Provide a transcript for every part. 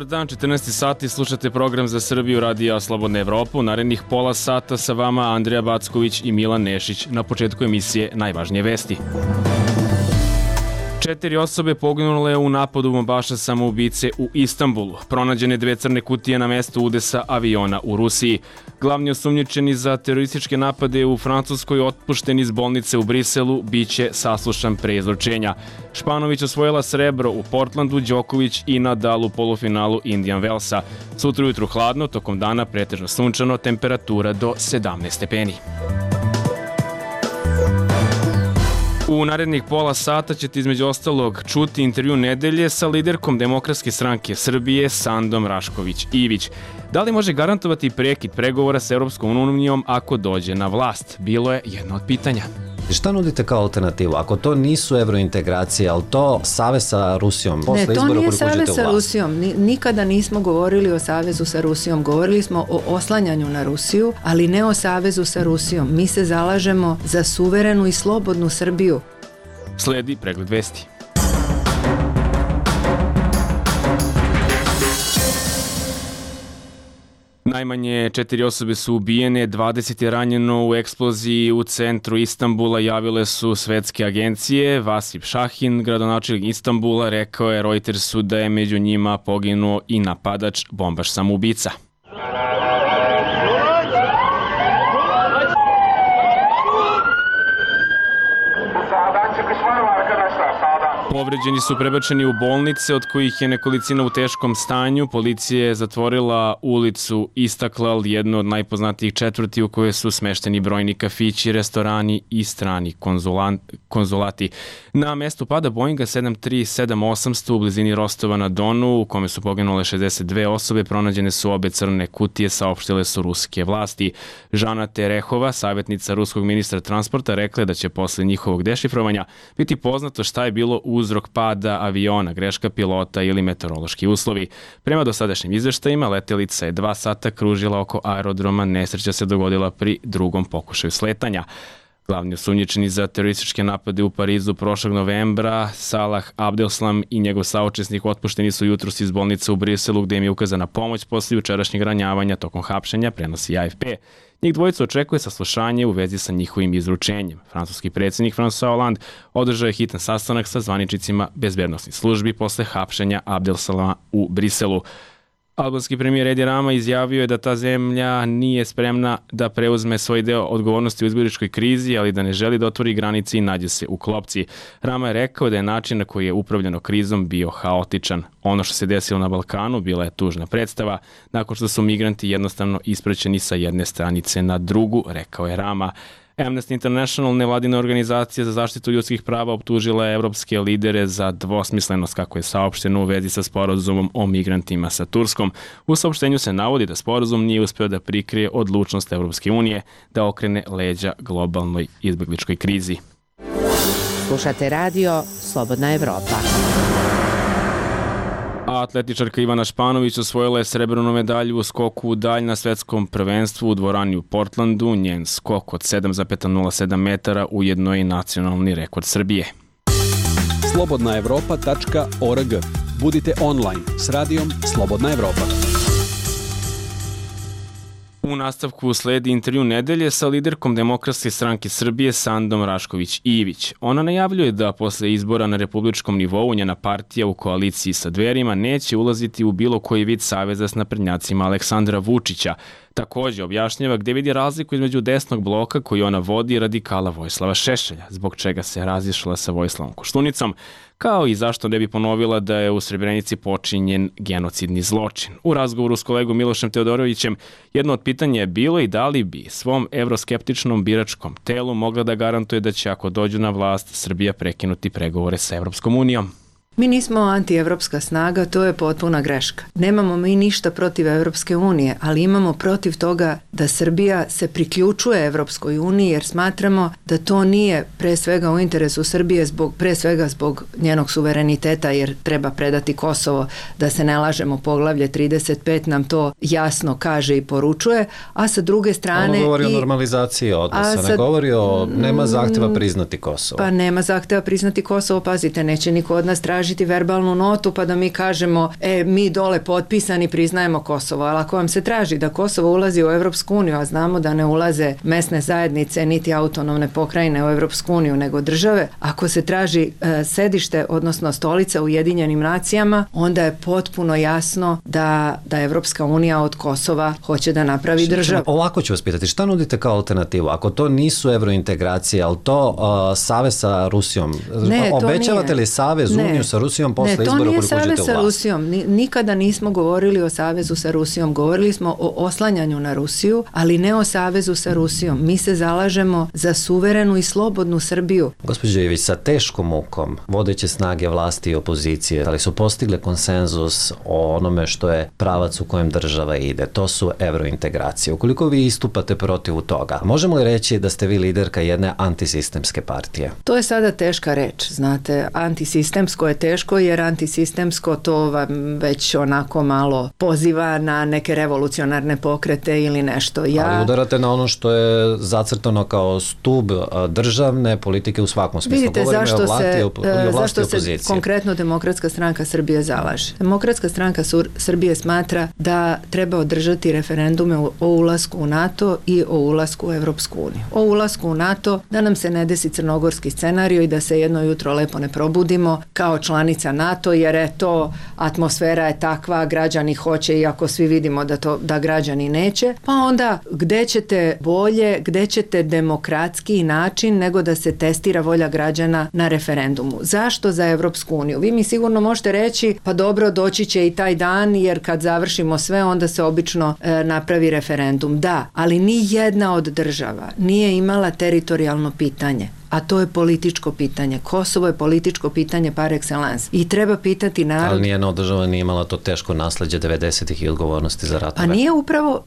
Dobar dan, 14 sati, slušate program za Srbiju Radija Slobodna Evropa. U narednih pola sata sa vama Andrija Backović i Milan Nešić. Na početku emisije najvažnije vesti. 4 osobe poginule u napadu bombaša samoubice u Istanbulu. Pronađene 2 crne kutije na mestu udesa aviona u Rusiji. Glavni osumnjičeni za terorističke napade u Francuskoj otpušten iz bolnice u Briselu biće saslušan pre izručenja. Španović osvojila srebro u Portlandu, Đoković i Nadal u polufinalu Indian Wellsa. Sutra ujutru hladno, tokom dana pretežno sunčano, temperatura do 17 stepeni. U narednih pola sata ćete između ostalog čuti intervju nedelje sa liderkom Demokratske stranke Srbije Sandom Rašković-Ivić. Da li može garantovati prekid pregovora sa Europskom unijom ako dođe na vlast? Bilo je jedno od pitanja. Šta nudite kao alternativu? Ako to nisu evrointegracije, ali to savez sa Rusijom? Ne, to nije savez sa Rusijom. Nikada nismo govorili o savezu sa Rusijom. Govorili smo o oslanjanju na Rusiju, ali ne o savezu sa Rusijom. Mi se zalažemo za suverenu i slobodnu Srbiju. Sledi pregled vesti. Najmanje 4 osobe su ubijene, 20 je ranjeno u eksploziji u centru Istanbula, javile su svetske agencije. Vasip Šahin, gradonačelnik Istanbula, rekao je Reutersu da je među njima poginuo i napadač, bombaš samoubica. Povređeni su prebačeni u bolnice, od kojih je nekolicina u teškom stanju. Policija je zatvorila ulicu Istaklal, jednu od najpoznatijih četvrti u kojoj su smešteni brojni kafići, restorani i strani konzulati. Na mestu pada Boeinga 737-800 u blizini Rostova na Donu, u kome su poginule 62 osobe, pronađene su obe crne kutije, saopštile su ruske vlasti. Žana Terehova, savjetnica ruskog ministra transporta, rekla je da će posle njihovog dešifrovanja biti poznato šta je bilo uzrok pada aviona, greška pilota ili meteorološki uslovi. Prema dosadašnjim izveštajima, letelica je 2 sata kružila oko aerodroma, nesreća se dogodila pri drugom pokušaju sletanja. Glavni osumnjičeni za terorističke napade u Parizu prošlog novembra, Salah Abdeslam i njegov saučesnik otpušteni su jutros iz bolnice u Briselu, gde im je ukazana pomoć posle jučerašnjeg ranjavanja tokom hapšenja, prenosi AFP. Njih dvojica očekuje saslušanje u vezi sa njihovim izručenjem. Francuski predsjednik François Hollande održao je hitan sastanak sa zvaničnicima bezbednosnih službi posle hapšenja Abdeslama u Briselu. Albanski premijer Edi Rama izjavio je da ta zemlja nije spremna da preuzme svoj deo odgovornosti u izbjegličkoj krizi, ali da ne želi da otvori granice i nađe se u klopci. Rama je rekao da je način na koji je upravljeno krizom bio haotičan. Ono što se desilo na Balkanu bila je tužna predstava, nakon što su migranti jednostavno ispraćeni sa jedne stranice na drugu, rekao je Rama. Amnesty International, nevladina organizacija za zaštitu ljudskih prava, optužila je evropske lidere za dvosmislenost, kako je saopšteno u vezi sa sporazumom o migrantima sa Turskom. U saopštenju se navodi da sporazum nije uspeo da prikrije odlučnost Evropske unije da okrene leđa globalnoj izbegličkoj krizi. Slušate radio Slobodna Evropa. A atletičarka Ivana Španović osvojila je srebrnu medalju u skoku u dalj na svetskom prvenstvu u dvorani u Portlandu. Njen skok od 7,07 metara ujedno je i nacionalni rekord Srbije. slobodnaevropa.org. Budite online s radijom Slobodna Evropa. U nastavku sledi intervju nedelje sa liderkom Demokratske stranke Srbije Sandom Rašković-Ivić. Ona najavljuje da posle izbora na republičkom nivou njena partija u koaliciji sa Dverima neće ulaziti u bilo koji vid saveza s naprednjacima Aleksandra Vučića. Takođe objašnjava gde vidi razliku između desnog bloka koji ona vodi i radikala Vojislava Šešelja, zbog čega se razišla sa Vojislavom Koštunicom, kao i zašto ne bi ponovila da je u Srebrenici počinjen genocidni zločin. U razgovoru s kolegom Milošem Teodorovićem jedno od pitanja je bilo i da li bi svom evroskeptičnom biračkom telu mogla da garantuje da će, ako dođu na vlast, Srbija prekinuti pregovore sa Evropskom unijom. Mi nismo antievropska snaga, to je potpuna greška. Nemamo mi ništa protiv Evropske unije, ali imamo protiv toga da Srbija se priključuje Evropskoj uniji jer smatramo da to nije pre svega u interesu Srbije, pre svega zbog njenog suvereniteta, jer treba predati Kosovo, da se ne lažemo, poglavlje 35 nam to jasno kaže i poručuje, a sa druge strane... Ono govori o normalizaciji odnosa, ne govori o nema zahteva priznati Kosovo. Pa nema zahteva priznati Kosovo, pazite, neće niko od nas tražiti tražiti verbalnu notu pa da mi kažemo mi dole potpisani priznajemo Kosovo, ali ako vam se traži da Kosovo ulazi u Evropsku uniju, a znamo da ne ulaze mesne zajednice niti autonomne pokrajine u Evropsku uniju nego države, ako se traži sedište, odnosno stolica u Ujedinjenim nacijama, onda je potpuno jasno da Evropska unija od Kosova hoće da napravi državu. Ovako ću vas pitati, šta nudite kao alternativu? Ako to nisu evrointegracije, ali to savez sa Rusijom, obećavate li savez, uniju sa Rusijom posle izbora koliko uđete u vlast? Ne, to nije savez sa Rusijom. Nikada nismo govorili o savezu sa Rusijom. Govorili smo o oslanjanju na Rusiju, ali ne o savezu sa Rusijom. Mi se zalažemo za suverenu i slobodnu Srbiju. Gospođo Ivić, sa teškom mukom vodeće snage vlasti i opozicije, ali su postigle konsenzus o onome što je pravac u kojem država ide. To su evrointegracije. Ukoliko vi istupate protiv toga, možemo li reći da ste vi liderka jedne antisistemske partije? To je sada teška reč, znate. Antisistemsko je teško jer antisistemsko to vam već onako malo poziva na neke revolucionarne pokrete ili nešto. Ali udarate na ono što je zacrtano kao stub državne politike u svakom smislu. Vidite zašto se konkretno Demokratska stranka Srbije zalaže. Demokratska stranka Srbije smatra da treba održati referendume o ulasku u NATO i o ulasku u Evropsku uniju. O ulasku u NATO da nam se ne desi crnogorski scenario i da se jedno jutro lepo ne probudimo kao članica NATO jer atmosfera je takva, građani hoće iako svi vidimo da građani neće, pa onda gde ćete bolje, gde ćete demokratski način nego da se testira volja građana na referendumu. Zašto za Evropsku uniju? Vi mi sigurno možete reći pa dobro, doći će i taj dan jer kad završimo sve onda se obično napravi referendum. Da, ali ni jedna od država nije imala teritorijalno pitanje. A to je političko pitanje. Kosovo je političko pitanje par excellence. I treba pitati narod... Ali nijedna od država nije imala to teško nasleđe 90-ih i odgovornosti za ratove. A nije upravo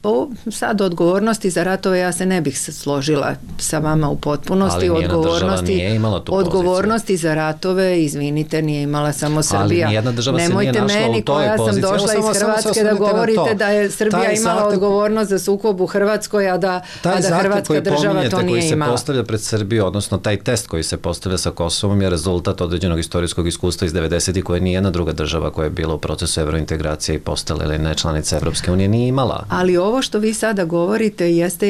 sad odgovornosti za ratove, ja se ne bih složila sa vama u potpunosti. Ali nijedna država nije imala tu poziciju. Odgovornosti za ratove, izvinite, nije imala samo Srbija. Ali nijedna država se nije našla u toj poziciji. Nemojte meni koja sam došla iz Hrvatske da govorite da je Srbija imala odgovornost za sukob u Hrvatskoj, a da Hrvatska država to nije imala. Koji se postavlja pred Srbiju, odnosno taj test koji se postavlja sa Kosovom je rezultat određenog istorijskog iskustva iz 90-ih koje nijedna druga država koja je bila u procesu evrointegracije i postala ili ne članica Evropske unije nije imala. Ali ovo što vi sada govorite jeste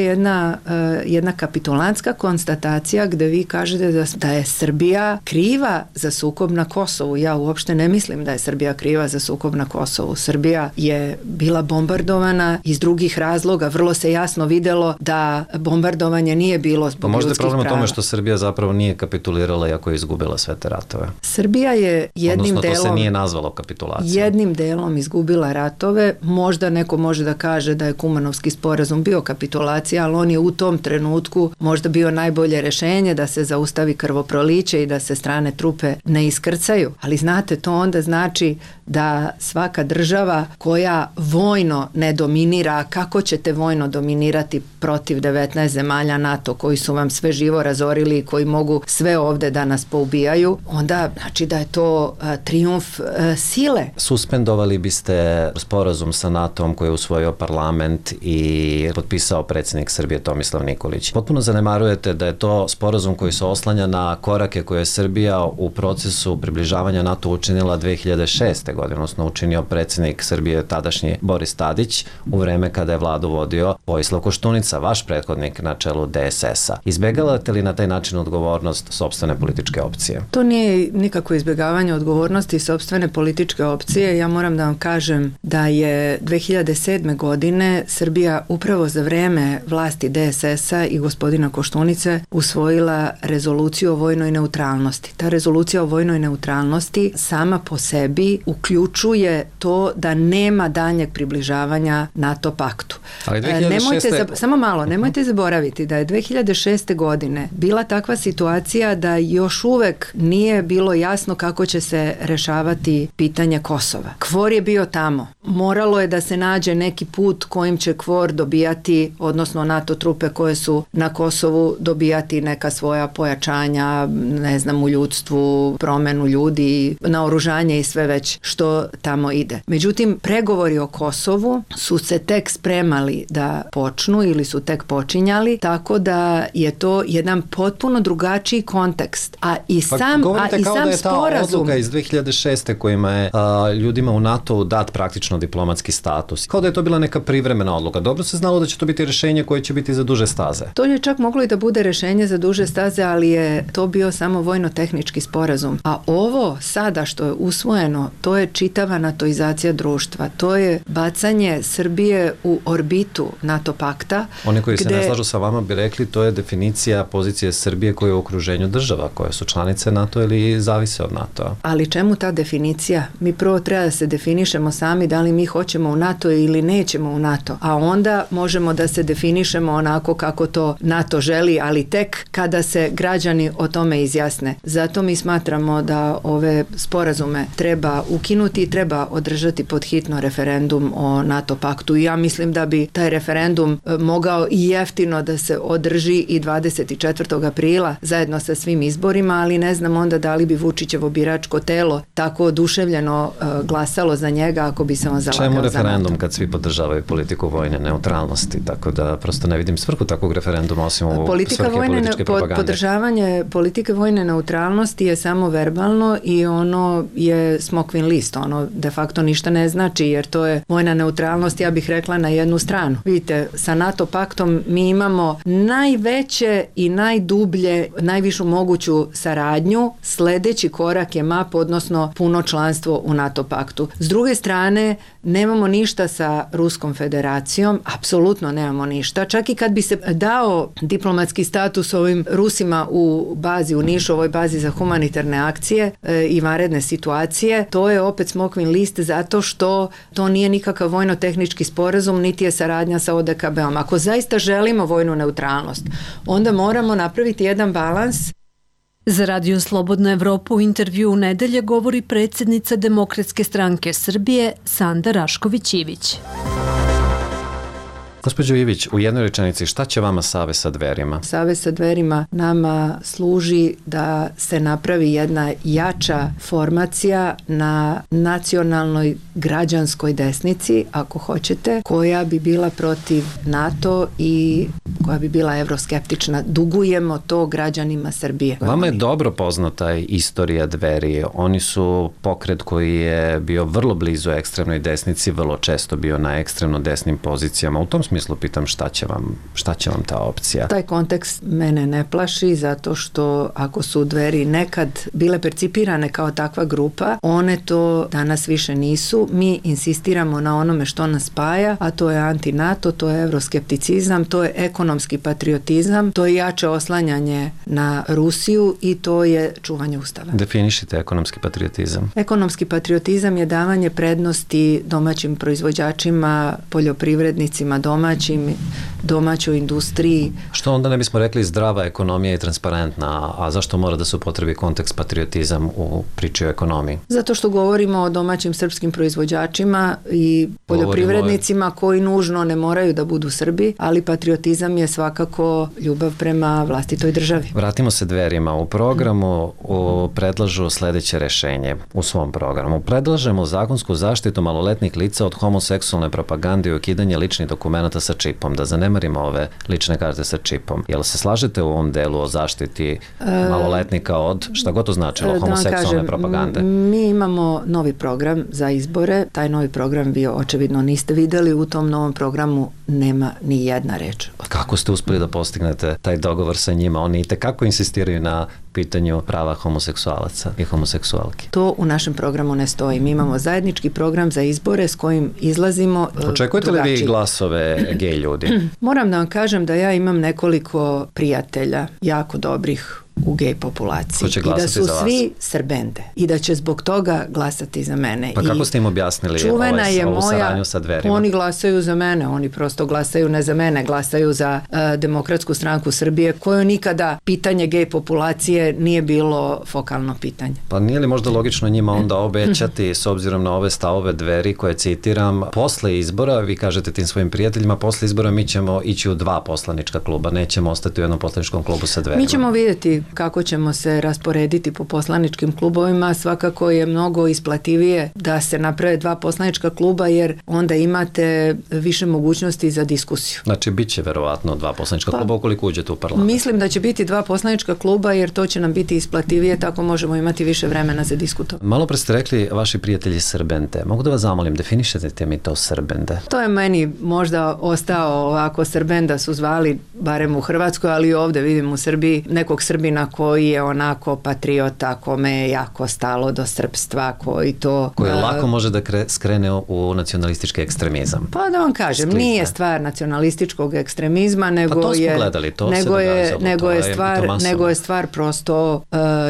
jedna kapitulantska konstatacija gde vi kažete da je Srbija kriva za sukob na Kosovu. Ja uopšte ne mislim da je Srbija kriva za sukob na Kosovu. Srbija je bila bombardovana iz drugih razloga. Vrlo se jasno videlo da bombardovanje nije bilo zbog ljudskih prava. Možda je problem u tome što Srbija zapravo nije kapitulirala iako je izgubila sve te ratove. Srbija je jednim to se delom nije nazvalo kapitulacijom. Jednim delom izgubila ratove. Možda neko može da kaže da je Kumanovski sporazum bio kapitulacija, ali on je u tom trenutku možda bio najbolje rešenje da se zaustavi krvoproliće i da se strane trupe ne iskrcaju. Ali znate, to onda znači da svaka država koja vojno ne dominira, kako ćete vojno dominirati protiv 19 zemalja NATO koji su vam sve živo razorili i koji mogu sve ovde da nas poubijaju, onda znači da je to trijumf sile. Suspendovali biste sporazum sa NATO-om koji je usvojio parlament i potpisao predsjednik Srbije Tomislav Nikolić. Potpuno zanemarujete da je to sporazum koji se oslanja na korake koje je Srbija u procesu približavanja NATO učinila 2006. godine, odnosno učinio predsjednik Srbije tadašnji Boris Tadić u vreme kada je vladu vodio Vojislav Koštunica, vaš prethodnik na čelu DSS-a. Izbjegavate li na taj način odgovornost sopstvene političke opcije? To nije nikako izbjegavanje odgovornosti sopstvene političke opcije. Ja moram da vam kažem da je 2007. godine Srbija upravo za vreme vlasti DSS-a i gospodina Koštunice usvojila rezoluciju o vojnoj neutralnosti. Ta rezolucija o vojnoj neutralnosti sama po sebi uključuje to da nema daljnjeg približavanja NATO paktu. Ali 2006. Nemojte zaboraviti da je 2006. godine bila takva situacija da još uvek nije bilo jasno kako će se rešavati pitanje Kosova. KFOR je bio tamo. Moralo je da se nađe neki put kojim će KFOR dobijati, odnosno NATO trupe koje su na Kosovu dobijati neka svoja pojačanja, ne znam, u ljudstvu, promenu ljudi, naoružanje i sve već što tamo ide. Međutim, pregovori o Kosovu su se tek spremali krenuli da počnu ili su tek počinjali, tako da je to jedan potpuno drugačiji kontekst. A i sam sporazum... Da je ta odluka iz 2006. kojima je ljudima u NATO dat praktično diplomatski status. Kao da je to bila neka privremena odluka. Dobro se znalo da će to biti rješenje koje će biti za duže staze. To je čak moglo i da bude rješenje za duže staze, ali je to bio samo vojno-tehnički sporazum. A ovo sada što je usvojeno, to je čitava natoizacija društva. To je bacanje Srbije u orbitu NATO pakta. Oni koji se ne slažu sa vama bi rekli to je definicija pozicije Srbije koja je u okruženju država, koje su članice NATO ili zavise od NATO. Ali čemu ta definicija? Mi prvo treba da se definišemo sami da li mi hoćemo u NATO ili nećemo u NATO. A onda možemo da se definišemo onako kako to NATO želi, ali tek kada se građani o tome izjasne. Zato mi smatramo da ove sporazume treba ukinuti i treba održati pod hitno referendum o NATO paktu. I ja mislim da bi taj referendum mogao i jeftino da se održi i 24. aprila zajedno sa svim izborima, ali ne znam onda da li bi Vučićevo biračko telo tako oduševljeno glasalo za njega ako bi se on zalagao za NATO. Čemu referendum kad svi podržavaju politiku vojne neutralnosti? Tako da prosto ne vidim svrhu takvog referenduma osim u svrhe političke propagande. Podržavanje politike vojne neutralnosti je samo verbalno i ono je smokvin list, ono de facto ništa ne znači jer to je vojna neutralnost, ja bih rekla, na jednu stranu. Vidite, sa NATO paktom mi imamo najveće i najdublje, najvišu moguću saradnju, sledeći korak je MAP, odnosno puno članstvo u NATO paktu. S druge strane, nemamo ništa sa Ruskom federacijom, apsolutno nemamo ništa. Čak i kad bi se dao diplomatski status ovim Rusima u bazi, u Nišu, ovoj bazi za humanitarne akcije i vanredne situacije, to je opet smokvin list zato što to nije nikakav vojno-tehnički sporazum, niti je saradnja sa ODKB-om. Ako zaista želimo vojnu neutralnost, onda moramo napraviti jedan balans. Za Radio Slobodna Evropa u intervju u nedelje govori predsjednica Demokratske stranke Srbije Sanda Rašković-Ivić. Gospođo Ivić, u jednoj rečenici, šta će vama Savez sa Dverima? Savez sa Dverima nama služi da se napravi jedna jača formacija na nacionalnoj građanskoj desnici, ako hoćete, koja bi bila protiv NATO i koja bi bila evroskeptična. Dugujemo to građanima Srbije. Vama je dobro poznata istorija Dveri. Oni su pokret koji je bio vrlo blizu ekstremnoj desnici, vrlo često bio na ekstremno desnim pozicijama. U tom smislu pitam šta će vam ta opcija? Taj kontekst mene ne plaši zato što ako su Dveri nekad bile percipirane kao takva grupa, one to danas više nisu. Mi insistiramo na onome što nas spaja, a to je anti-NATO, to je evroskepticizam, to je ekonomski patriotizam, to je jače oslanjanje na Rusiju i to je čuvanje Ustava. Definišite ekonomski patriotizam. Ekonomski patriotizam je davanje prednosti domaćim proizvođačima, poljoprivrednicima domaćoj industriji. Što onda ne bismo rekli zdrava ekonomija i transparentna, a zašto mora da se upotrebi kontekst patriotizam u priči o ekonomiji? Zato što govorimo o domaćim srpskim proizvođačima i poljoprivrednicima koji nužno ne moraju da budu Srbi, ali patriotizam je svakako ljubav prema vlastitoj državi. Vratimo se Dverima. U programu predlažu sledeće rešenje. U svom programu predlažemo zakonsku zaštitu maloletnih lica od homoseksualne propagande i ukidanje ličnih dokumenata sa čipom. Da zanemarimo ove lične karte sa čipom. Jel se slažete u ovom delu o zaštiti maloletnika od, šta god to značilo, homoseksualne propagande? Mi imamo novi program za izbore. Taj novi program vi očevidno niste videli. U tom novom programu nema ni jedna reč. Kako ste uspeli da postignete taj dogovor sa njima? Oni itekako insistiraju na pitanju prava homoseksualaca i homoseksualki. To u našem programu ne stoji. Mi imamo zajednički program za izbore s kojim izlazimo Očekujete li vi glasove gej ljudi? Moram da vam kažem da ja imam nekoliko prijatelja, jako dobrih u gej populaciji i da su svi Srbende i da će zbog toga glasati za mene. Pa kako ste im objasnili ovu saradnju sa Dverima? Oni glasaju za mene, oni prosto glasaju ne za mene, glasaju za Demokratsku stranku Srbije, koju nikada pitanje gej populacije nije bilo fokalno pitanje. Pa nije li možda logično njima onda obećati, s obzirom na ove stavove Dveri koje citiram, posle izbora, vi kažete tim svojim prijateljima, posle izbora mi ćemo ići u 2 poslanička kluba, nećemo ostati u jednom poslaničkom klubu sa Dverima. Mi ćemo vidjeti tome kako ćemo se rasporediti po poslaničkim klubovima, svakako je mnogo isplativije da se naprave 2 poslanička kluba, jer onda imate više mogućnosti za diskusiju. Znači, bit će verovatno 2 poslanička kluba ukoliko uđete u parlament. Mislim da će biti 2 poslanička kluba, jer to će nam biti isplativije, tako možemo imati više vremena za diskutovanje. Malo pre ste rekli vaši prijatelji Srbende. Mogu da vas zamolim, definišete mi to Srbende? To je meni možda ostao ovako, Srbenda su zvali, barem u Hrvatskoj, ali i ovde vidim u Srbiji, nekog Srbina koji je onako patriota, kome je jako stalo do srpstva, koji lako može da skrene u nacionalistički ekstremizam. Pa da vam kažem, nije stvar nacionalističkog ekstremizma, nego to smo gledali, to se događalo. Nego je stvar prosto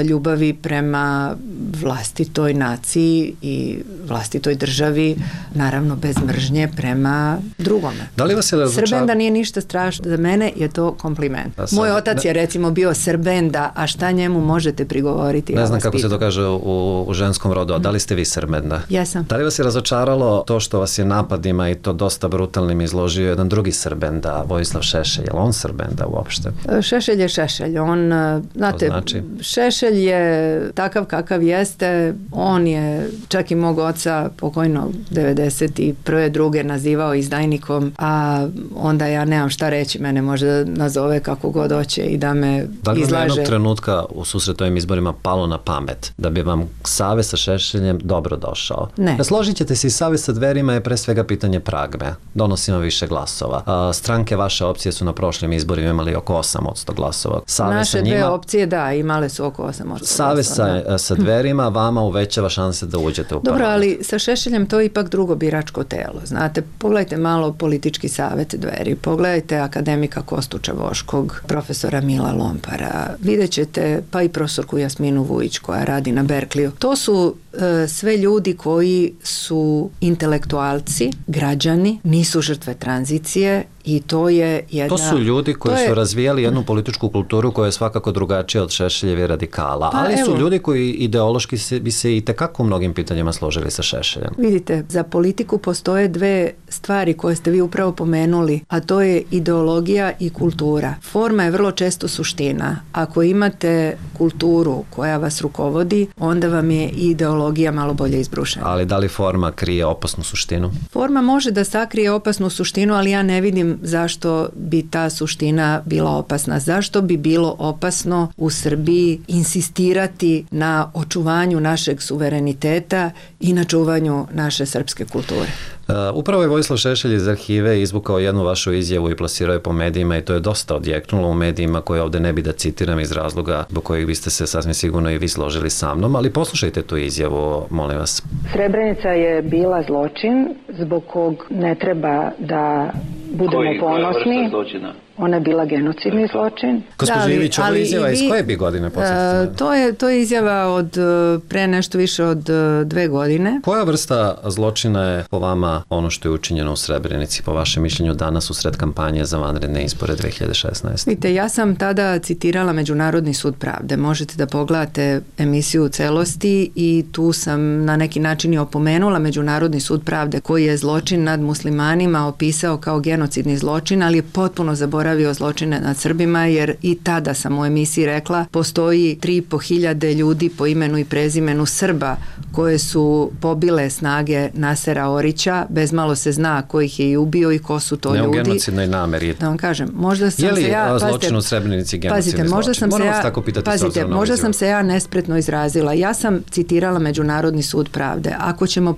ljubavi prema vlastitoj naciji i vlastitoj državi, naravno bez mržnje prema drugome. Da li vas je Srbenda nije ništa strašno, za mene je to kompliment. Moj otac je recimo bio Srbenda, a šta njemu možete prigovoriti? Ne znam kako se to kaže u ženskom rodu, a da li ste vi Srbenda? Jesam. Da li vas je razočaralo to što vas je napadima i to dosta brutalnim izložio jedan drugi Srbenda, Vojislav Šešelj? Je li on Srbenda uopšte? Šešelj je Šešelj. On, znate, Šešelj je takav kakav jeste. On je čak i mog oca pokojnog 91. druge nazivao izdajnikom, a onda ja nemam šta reći, mene može nazove kako god hoće i da me izlaže. Da li vam jednog trenutka u susretu ovim izborima palo na pamet da bi vam savez sa Šešeljem dobro došao? Ne. Složit ćete se, i savez sa Dverima je pre svega pitanje pragme. Donosimo više glasova. Stranke vaše opcije su na prošlim izborima imali oko 8% glasova. Naše dve opcije, da, imale su oko 8% glasova. Savez sa Dverima vama uvećava šanse da uđete u parlament. Dobro, ali sa Šešeljem to je ipak drugo biračko telo. Znate, pogledajte malo politički savjet Dveri, pogledajte akademika Kostuča Voškog, profesora Mila Lompara, vidjet ćete pa i profesorku Jasminu Vujić koja radi na Berkliju. To su sve ljudi koji su intelektualci, građani, nisu žrtve tranzicije i to je jedna... To su ljudi koji su razvijali jednu političku kulturu koja je svakako drugačija od Šešeljeve radikala, ali su ljudi koji ideološki bi se i tekako u mnogim pitanjima složili sa Šešeljem. Vidite, za politiku postoje 2 stvari koje ste vi upravo pomenuli, a to je ideologija i kultura. Forma je vrlo često suština. Ako imate kulturu koja vas rukovodi, onda vam je i ideologija malo bolje izbrušena. Ali da li forma krije opasnu suštinu? Forma može da sakrije opasnu suštinu, ali ja ne vidim zašto bi ta suština bila opasna. Zašto bi bilo opasno u Srbiji insistirati na očuvanju našeg suvereniteta i na čuvanju naše srpske kulture? Upravo je Vojislav Šešelj iz arhive izvukao jednu vašu izjavu i plasirao je po medijima i to je dosta odjeknulo u medijima koje ovde ne bi da citiram iz razloga zbog kojih biste se sasvim sigurno i vi složili sa mnom, ali poslušajte tu izjavu, molim vas. Srebrenica je bila zločin zbog kog ne treba da budemo ponosni. Ona je bila genocidni zločin. Gospođo Ivić, ovo je izjava iz koje bi godine podsjetite? To je izjava od pre nešto više od 2 godine. Koja vrsta zločina je po vama ono što je učinjeno u Srebrenici, po vašem mišljenju danas u sred kampanje za vanredne izbore 2016? Vidite, ja sam tada citirala Međunarodni sud pravde. Možete da pogledate emisiju u celosti i tu sam na neki način i opomenula Međunarodni sud pravde koji je zločin nad muslimanima opisao kao genocidni zločin, ali je potpuno zaboravio zločine nad Srbima, jer i tada sam u emisiji rekla postoji 3.500 ljudi po imenu i prezimenu Srba koje su pobile snage Nasera Orića, bezmalo se zna ko ih je i ubio i ko su to ljudi. Ne u genocidnoj nameri. Da vam kažem, možda sam se ja... Je li zločin u Srebrenici genocidni zločin? Moram vas tako pitati. Pazite, možda sam se ja nespretno izrazila. Ja sam citirala Međunarodni sud pravde.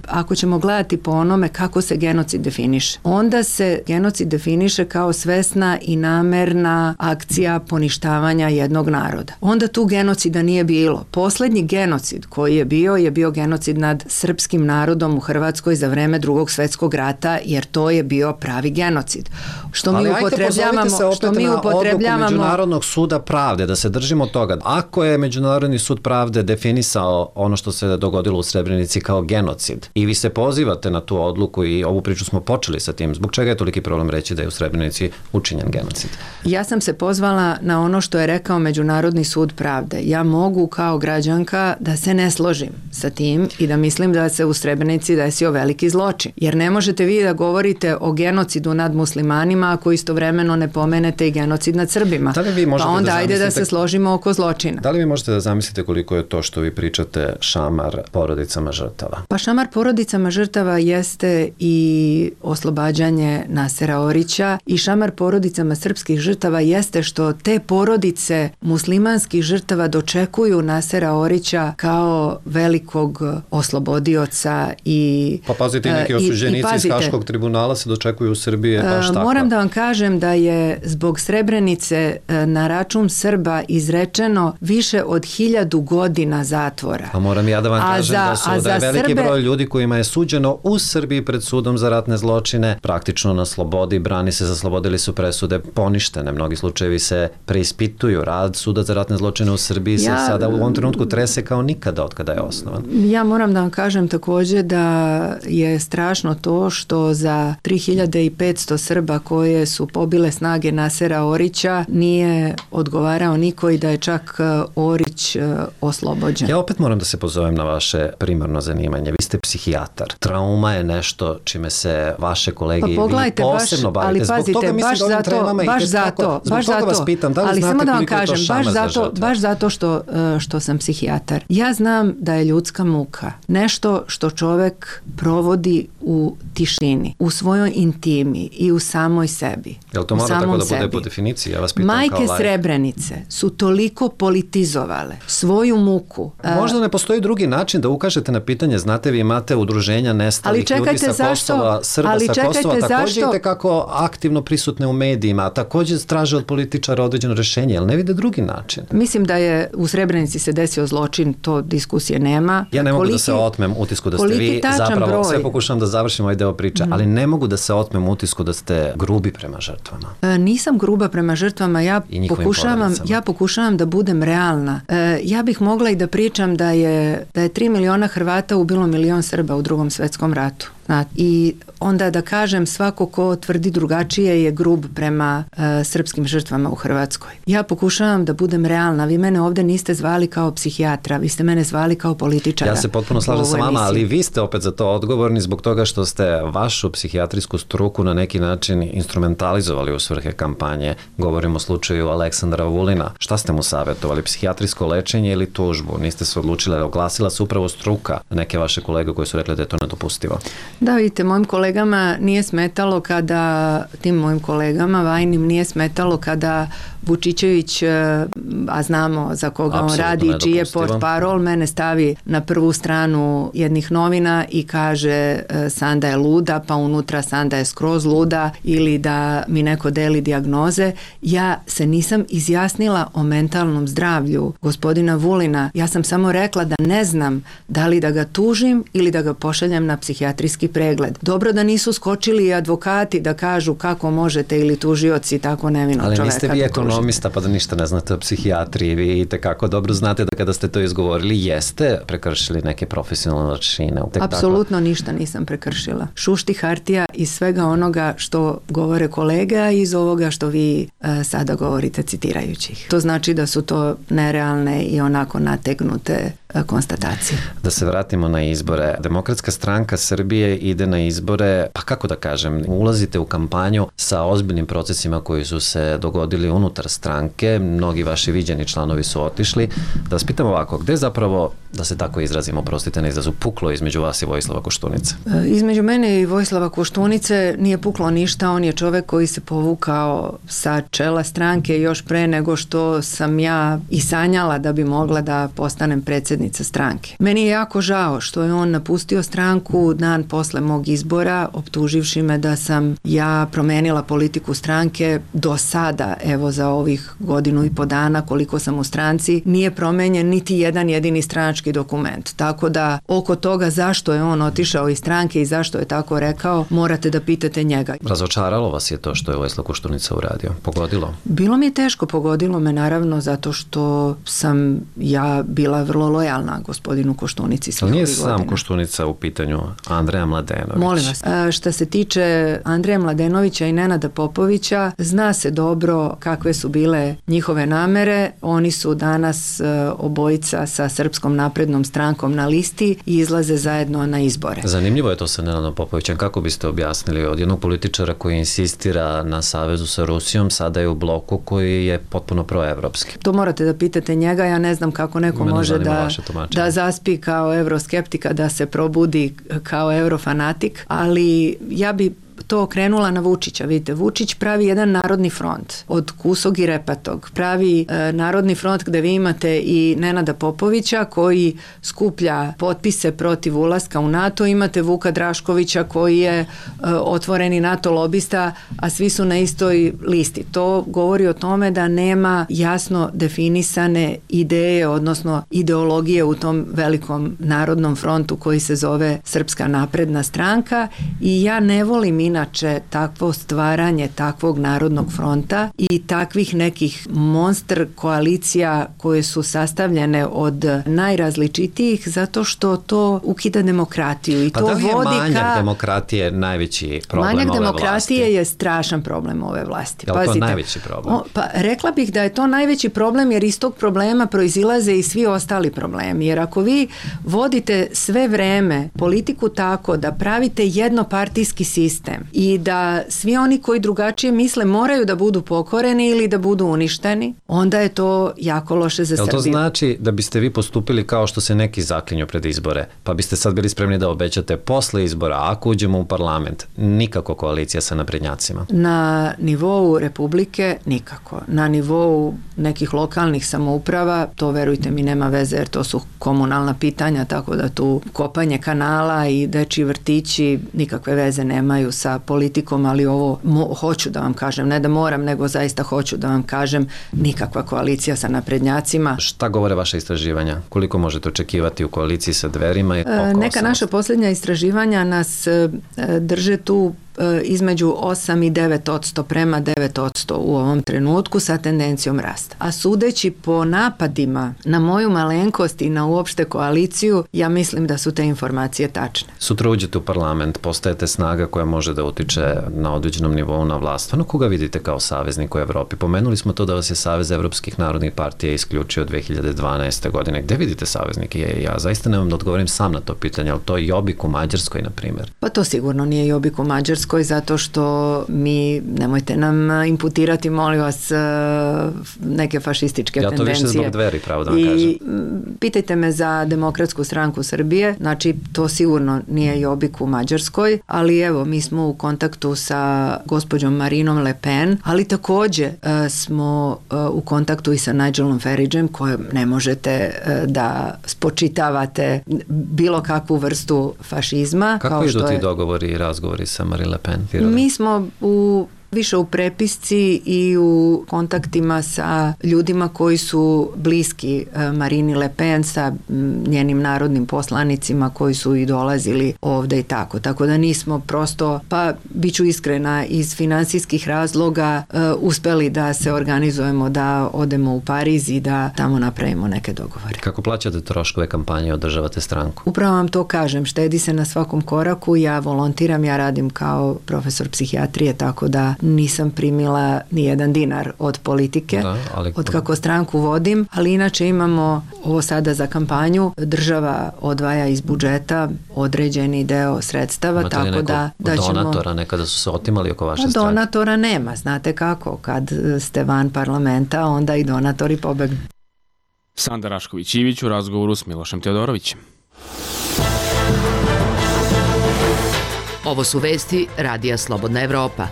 Ako ćemo gledati po onome kako se genocid definiše, onda se genocid definiše kao svesna i namerna akcija poništavanja jednog naroda. Onda tu genocida nije bilo. Poslednji genocid koji je bio genocid nad srpskim narodom u Hrvatskoj za vreme Drugog svjetskog rata, jer to je bio pravi genocid. Što mi upotrebljavamo Međunarodnog suda pravde, da se držimo toga. Ako je Međunarodni sud pravde definisao ono što se dogodilo u Srebrenici kao genocid i vi se pozivate na tu odluku i ovu priču smo počeli sa tim, zbog čega je toliki problem reći da je u Srebrenici učinjen genocid? genocid. Ja sam se pozvala na ono što je rekao Međunarodni sud pravde. Ja mogu kao građanka da se ne složim sa tim i da mislim da se u Srebrenici desio veliki zločin. Jer ne možete vi da govorite o genocidu nad muslimanima ako istovremeno ne pomenete i genocid nad Srbima. Pa onda ajde da se složimo oko zločina. Da li vi možete da zamislite koliko je to što vi pričate šamar porodicama žrtava? Pa šamar porodicama žrtava jeste i oslobađanje Nasera Orića i šamar porodicama srpskih žrtava jeste što te porodice muslimanskih žrtava dočekuju Nasera Orića kao velikog oslobodioca i pa pazite, neki osuđenici iz Haškog tribunala se dočekuju u Srbiji baš tako. Moram da vam kažem da je zbog Srebrenice na račun Srba izrečeno više od 1000 godina zatvora. A moram ja da vam kažem da je veliki broj ljudi kojima je suđeno u Srbiji pred sudom za ratne zločine praktično na slobodi, brani se, zaslobodili su presude poništene. Mnogi slučajevi se preispituju. Rad suda za ratne zločine u Srbiji se sada u ovom trenutku trese kao nikada od kada je osnovan. Ja moram da vam kažem također da je strašno to što za 3500 Srba koje su pobile snage Nasera Orića nije odgovarao niko i da je čak Orić oslobođen. Ja opet moram da se pozovem na vaše primarno zanimanje. Vi ste psihijatar. Trauma je nešto čime se vaše kolege i vi posebno bavite. Ali pazite, baš zato vas pitam, da li znate koliko je to šamar za žrtve? Baš zato što sam psihijatar. Ja znam da je ljudska muka nešto što čovek provodi u tišini, u svojoj intimi i u samoj sebi. Jel to mora tako da bude po definiciji? Ja vas pitam Majke Srebrenice su toliko politizovale svoju muku. Možda ne postoji drugi način da ukažete na pitanje. Znate, vi imate udruženja nestalih ljudi sa Kosova, Srba sa Kosova, također i tekako aktivno prisutne u medijima, a također traže od političara određeno rješenje, ali ne vide drugi način. Mislim da je u Srebrenici se desio zločin, to diskusije nema. Ja ne mogu da se otmem utisku da ste vi, zapravo sve pokušavam da završim ovaj deo priče, ali ne mogu da se otmem utisku da ste grubi prema žrtvama. Nisam gruba prema žrtvama, ja pokušavam da budem realna. Ja bih mogla i da pričam da je 3 miliona Hrvata ubilo 1 milion Srba u Drugom svetskom ratu. I onda da kažem svako ko tvrdi drugačije je grub prema srpskim žrtvama u Hrvatskoj. Ja pokušavam da budem realna. Vi mene ovdje niste zvali kao psihijatra, vi ste mene zvali kao političara. Ja se potpuno slažem sa vama, ali vi ste opet za to odgovorni zbog toga što ste vašu psihijatrijsku struku na neki način instrumentalizovali u svrhe kampanje. Govorimo o slučaju Aleksandra Vulina. Šta ste mu savjetovali? Psihijatrijsko lečenje ili tužbu? Niste se odlučili, oglasila se upravo struka neke vaše kolege koji su rekli da je to nedopustivo. Da, vidite, mojim kolegama nije smetalo tim mojim kolegama vajnim nije smetalo kada Vučićević, a znamo za koga on radi, čiji je portparol, mene stavi na prvu stranu jednih novina i kaže Sanda je luda, pa unutra Sanda je skroz luda, ili da mi neko deli dijagnoze. Ja se nisam izjasnila o mentalnom zdravlju gospodina Vulina. Ja sam samo rekla da ne znam da li da ga tužim ili da ga pošaljem na psihijatrijski pregled. Dobro da nisu skočili advokati da kažu kako možete ili tužioci tako nevinog čoveka. Ali niste vi ekonomista pa da ništa ne znate o psihijatriji. Vi tekako dobro znate da kada ste to izgovorili jeste prekršili neke profesionalne aršine. Apsolutno ništa nisam prekršila. Šušti hartija iz svega onoga što govore kolega i iz ovoga što vi sada govorite citirajući ih. To znači da su to nerealne i onako nategnute konstatacije. Da se vratimo na izbore. Demokratska stranka Srbije ide na izbore, pa kako da kažem, ulazite u kampanju sa ozbiljnim procesima koji su se dogodili unutar stranke, mnogi vaši viđeni članovi su otišli. Da vas pitam ovako, gde zapravo, da se tako izrazimo, prostite na izrazu, puklo između vas i Vojislava Koštunice? Između mene i Vojislava Koštunice nije puklo ništa, on je čovek koji se povukao sa čela stranke još pre nego što sam ja i sanjala da bi mogla da postanem predsjednica stranke. Meni je jako žao što je on napustio stranku dan posle mog izbora, optuživši me da sam ja promenila politiku stranke do sada, evo za ovih 1.5 dana koliko sam u stranci, nije promenjen niti jedan jedini stranački dokument. Tako da oko toga zašto je on otišao iz stranke i zašto je tako rekao, morate da pitate njega. Razočaralo vas je to što je Vojislav Koštunica uradio? Pogodilo? Bilo mi je teško, pogodilo me naravno zato što sam ja bila vrlo lojalna gospodinu Koštunici svih ovih godina. Nije sam Koštunica u pitanju, Andreja Mladenović. Molim vas, šta se tiče Andreja Mladenovića i Nenada Popovića, zna se dobro kakve su bile njihove namere. Oni su danas obojica sa Srpskom naprednom strankom na listi i izlaze zajedno na izbore. Zanimljivo je to sa Nenadom Popovićem. Kako biste objasnili od jednog političara koji insistira na savezu sa Rusijom, sada je u bloku koji je potpuno proevropski? To morate da pitate njega, ja ne znam kako neko može da zaspi kao evroskeptika, da se probudi kao eurofanatik, ali ja bi to okrenula na Vučića. Vidite, Vučić pravi jedan narodni front od kusog i repatog. Pravi narodni front gde vi imate i Nenada Popovića koji skuplja potpise protiv ulaska u NATO, imate Vuka Draškovića koji je otvoreni NATO lobista, a svi su na istoj listi. To govori o tome da nema jasno definisane ideje, odnosno ideologije u tom velikom narodnom frontu koji se zove Srpska napredna stranka i ja ne volim inače takvo stvaranje takvog narodnog fronta i takvih nekih monster koalicija koje su sastavljene od najrazličitijih zato što to ukida demokratiju i pa to da li je vodi manjak demokratije najveći problem ove vlasti? Manjak demokratije je strašan problem ove vlasti. Je li to najveći problem? Pa rekla bih da je to najveći problem jer iz tog problema proizilaze i svi ostali problemi. Jer ako vi vodite sve vreme politiku tako da pravite jednopartijski sistem i da svi oni koji drugačije misle moraju da budu pokoreni ili da budu uništeni, onda je to jako loše za Srbiju. To znači da biste vi postupili kao što se neki zaklinju pred izbore, pa biste sad bili spremni da obećate posle izbora, ako uđemo u parlament, nikako koalicija sa naprednjacima? Na nivou Republike nikako. Na nivou nekih lokalnih samouprava, to verujte mi nema veze jer to su komunalna pitanja, tako da tu kopanje kanala i dečji vrtići nikakve veze nemaju sa politikom, ali ovo hoću da vam kažem, ne da moram, nego zaista hoću da vam kažem, nikakva koalicija sa naprednjacima. Šta govore vaše istraživanja? Koliko možete očekivati u koaliciji sa Dverima? Neka naša posljednja istraživanja nas drže tu između 8 i 9% prema 9% u ovom trenutku sa tendencijom rasta. A sudeći po napadima na moju malenkost i na uopšte koaliciju, ja mislim da su te informacije tačne. Sutra uđete u parlament, postajete snaga koja može da utiče na određenom nivou na vlast. Ono koga vidite kao saveznik u Evropi? Pomenuli smo to da vas je Savez evropskih narodnih partija isključio 2012. godine. Gde vidite saveznike? Ja zaista nemam da odgovorim sam na to pitanje, ali to je Jobbik u Mađarskoj, na primjer. Pa to sigurno nije Jobbik u Mađarskoj, zato što mi, nemojte nam imputirati, molim vas, neke fašističke tendencije. Ja to više zbog Dveri, pravo da vam kažem. Pitajte me za Demokratsku stranku Srbije, znači to sigurno nije Jobbik u Mađarskoj, ali evo, mi smo u kontaktu sa gospođom Marinom Le Pen, ali takođe smo u kontaktu i sa Nigelom Faragem, kojem ne možete da spočitavate bilo kakvu vrstu fašizma. Kako idu ti dogovori i razgovori sa Marine Le Pen? Mi smo više u prepisci i u kontaktima sa ljudima koji su bliski Marini Le Pen, sa njenim narodnim poslanicima koji su i dolazili ovde i tako. Tako da nismo prosto, pa bit ću iskrena, iz finansijskih razloga uspeli da se organizujemo, da odemo u Pariz i da tamo napravimo neke dogovore. Kako plaćate troškove kampanje, održavate stranku? Upravo vam to kažem, štedi se na svakom koraku, ja volontiram, ja radim kao profesor psihijatrije, tako da nisam primila ni jedan dinar od politike, od kako stranku vodim, ali inače imamo ovo sada za kampanju, država odvaja iz budžeta određeni deo sredstava, imate tako da ćemo... donatora nekada su se otimali oko vaše stranke? Donatora nema, znate kako, kad ste van parlamenta, onda i donatori pobegnu. Sanda Rašković-Ivić u razgovoru s Milošem Teodorovićem. Ovo su vesti Radija Slobodna Evropa.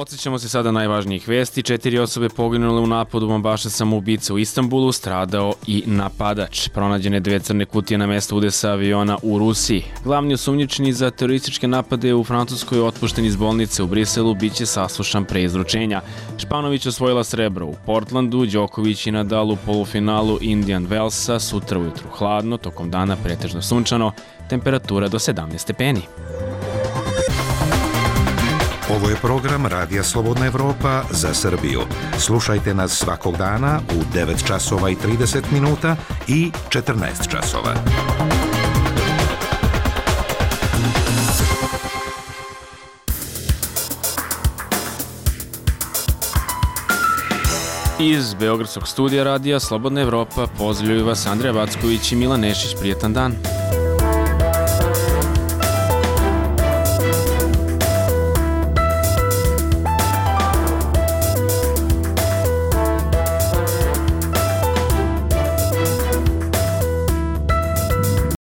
Podsjećamo se sada najvažnijih vesti. 4 osobe poginule u napadu bombaša samoubica u Istanbulu, stradao i napadač. Pronađene 2 crne kutije na mestu udesa aviona u Rusiji. Glavni osumnjičeni za terorističke napade u Francuskoj otpušten iz bolnice u Briselu biće saslušan pre izručenja. Španović osvojila srebro u Portlandu, Đoković i Nadal u polufinalu Indian Wellsa, sutra ujutru hladno, tokom dana pretežno sunčano, temperatura do 17 stepeni. Ovo je program Radija Slobodna Evropa za Srbiju. Slušajte nas svakog dana u 9 časova i 30 minuta i 14 časova. Iz Beogradskog studija Radija Slobodna Evropa pozdravljaju vas Andreja Vacković i Milan Nešić. Prijetan dan.